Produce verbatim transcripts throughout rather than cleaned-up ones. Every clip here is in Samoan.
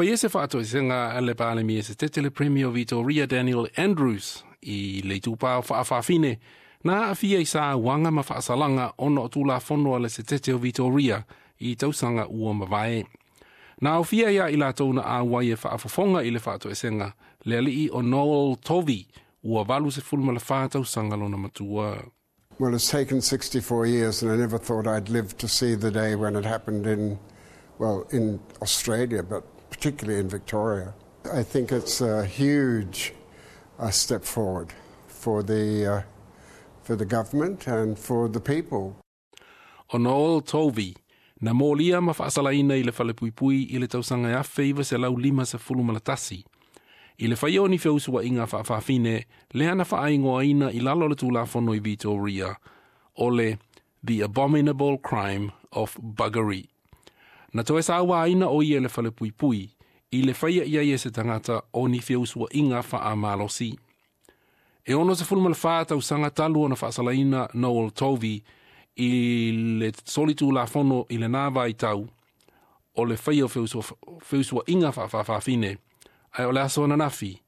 Faia se faatoesega a le Palemia Setete le Premier o Victoria Daniel Andrews i le itupa o fa'afafine na aafia i sauaga ma faasalaga ona o tulafono a le Setete o Victoria i tausaga ua mavae. Na aofia ia i latou na auai e faafofoga i le faatoesega le alii o Noel Tovey ua valu sefulu ma le fa tausaga lona matua. Well, it's taken sixty-four years, and I never thought I'd live to see the day when it happened in, well, in Australia, but particularly in Victoria. I think it's a huge uh, step forward for the, uh, for the government and for the people. O Noel Tovey, na molia ma faasalaina i le falepuipui i le tausaga e afe iva selau lima sefulu ma le tasi. I le faia o ni feusuaiga faafafine, lea na faaigoaina i lalo o le tulafono i Victoria, o le The Abominable Crime of Buggery. Na toe sauaina o ia i le falepuipui, i le faia i ai e se tagata o ni feusuaiga faamalosi. E ono sefulu ma le fa tausaga talu ona faasalaina Noel Tovey i le solitulafono i lena vaitau o le faia o feusuaiga faafaafafine, ae o le aso ananafi,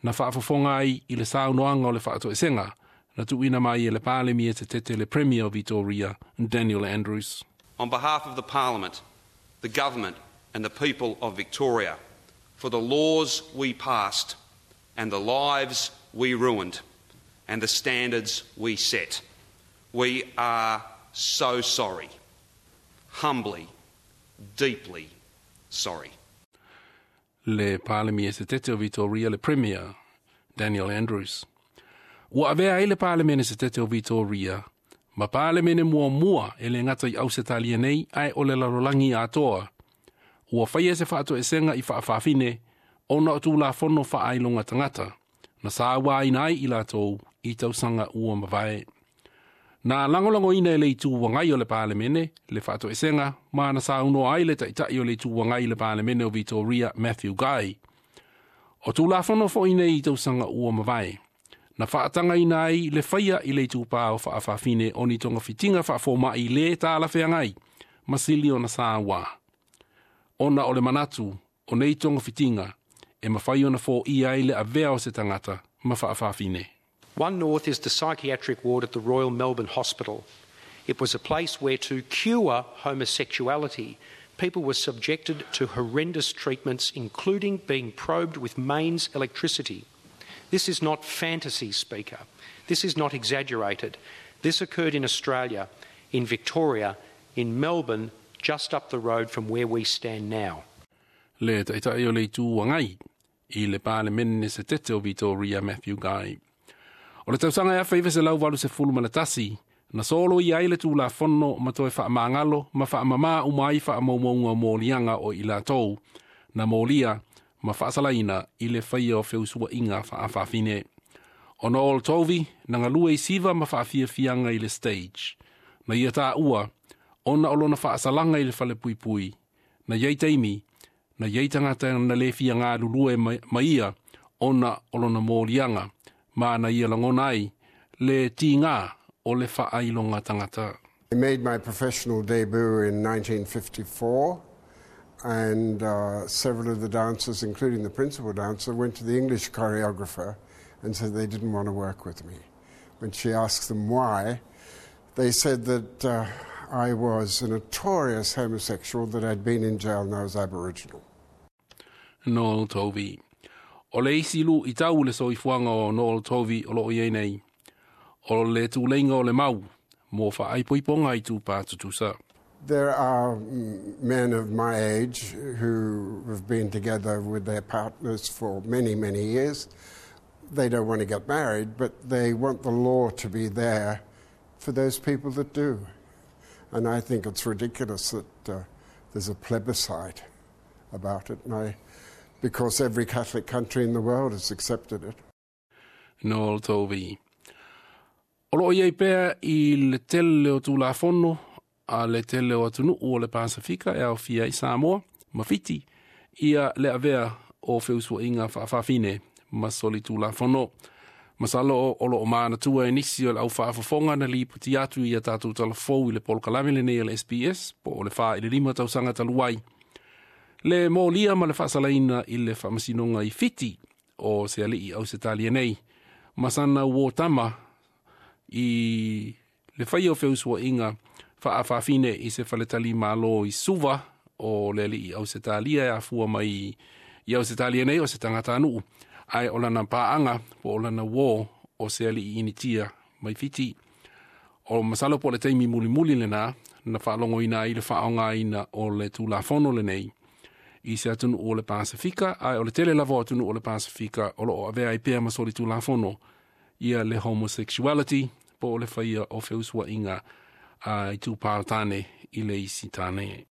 na faafofoga ai i le saunoaga o le faatoesega, na tuuina mai e le Palemia Setete le Premier o Victoria, Daniel Andrews. On behalf of the Parliament, the Government and the people of Victoria, for the laws we passed and the lives we ruined and the standards we set, we are so sorry. Humbly, deeply sorry. Le Palemia Setete o Victoria le Premier, Daniel Andrews. Ua avea ai le Palemene Setete o Victoria, ma Palemene muamua e le gata i Ausetalia nei ae o le lalolagi atoa. Ua faia se faatoesega i faafafine ona o tulafono faailoga tagata, na sauaina ai i latou i tausaga ua mavae. Na lagolagoina e le Itu Agai o le Palemene, le faatoesega, ma na saunoa ai le taitai o le Itu Agai i le Palemene o Victoria Matthew Guy. O tulafono foi nei i tausaga ua mavae, na faatagaina ai le faia i le itupa o faafafine o ni togafitiga faafoma'i lē talafeagai, ma sili ona sauā. Ona o le manatu, o nei togafitiga, e mafai ona foia ai le avea o se tagata ma faafafine. One North is the psychiatric ward at the Royal Melbourne Hospital. It was a place where, to cure homosexuality, people were subjected to horrendous treatments, including being probed with mains electricity. This is not fantasy, Speaker. This is not exaggerated. This occurred in Australia, in Victoria, in Melbourne, just up the road from where we stand now. Le taitai o le Itu Agai i le Palemene Setete o Victoria Matthew Guy. O le tausaga e afe iva selau valu sefulu ma le tasi, na soloia ai le tulafono ma toe faamagalo ma faamamā uma ai faamaumauga o moliaga o i latou, na molia ma faasalaina i le faia o feusuaiga faafafine. O Noel Tovey, na galue i siva ma faafiafiaga i le stage. Na ia taua, ona o lona faasalaga i le falepuipui. Na iai taimi, na iai tagata na le fia galulue ma ia, ona o lona moliaga, ma na ia lagona ai, le tigā o le faailoga tagata. I made my professional debut in nineteen fifty-four, and uh, several of the dancers, including the principal dancer, went to the English choreographer and said they didn't want to work with me. When she asked them why, they said that uh, I was a notorious homosexual, that I'd been in jail and I was Aboriginal. Noel Tovey. O le isi luitau i le soifuaga o Noel Tovey o loo i ai nei, o le tuleiga o le mau, mo faaipoipoga itupa tutusa. There are men of my age who have been together with their partners for many, many years. They don't want to get married, but they want the law to be there for those people that do. And I think it's ridiculous that uh, there's a plebiscite about it, and I, because every Catholic country in the world has accepted it. Noel Tovey. O loo i ai pea i le tele o tulafono a le tele o atunuu o le Pasifika e aofia ai Samoa, ma Fiti, ia le avea o feusuaiga faafafine ma solitulafono. Masalo o loo manatua e nisi o le au faafofoga na lipoti atu ia tatou talafou i le polokalame lenei a le S B S, po o le fa i le lima tausaga talu ai. Le molia ma le faasalaina i le faamasinoga i Fiti o se alii Ausetalia nei ma sana uō tama i le faia o feusuaiga faafaafine i se faletalimālō i Suva o le alii Ausetalia e afua mai i Ausetalia nei o se tagatanuu ae o lana paaga po o lana uō o se alii Initia mai Fiti. O masalo po o le taimi mulimuli lenā na faalogoina ai le faaaogaina o le Tulafono lenei i se atunuu o le Pasefika, ae o le tele lava o atunuu o le Pasefika o loo avea ai pea ma solitulafono ia le homosexuality po o le faia o feusuaiga a itupā o tane i le isi tane.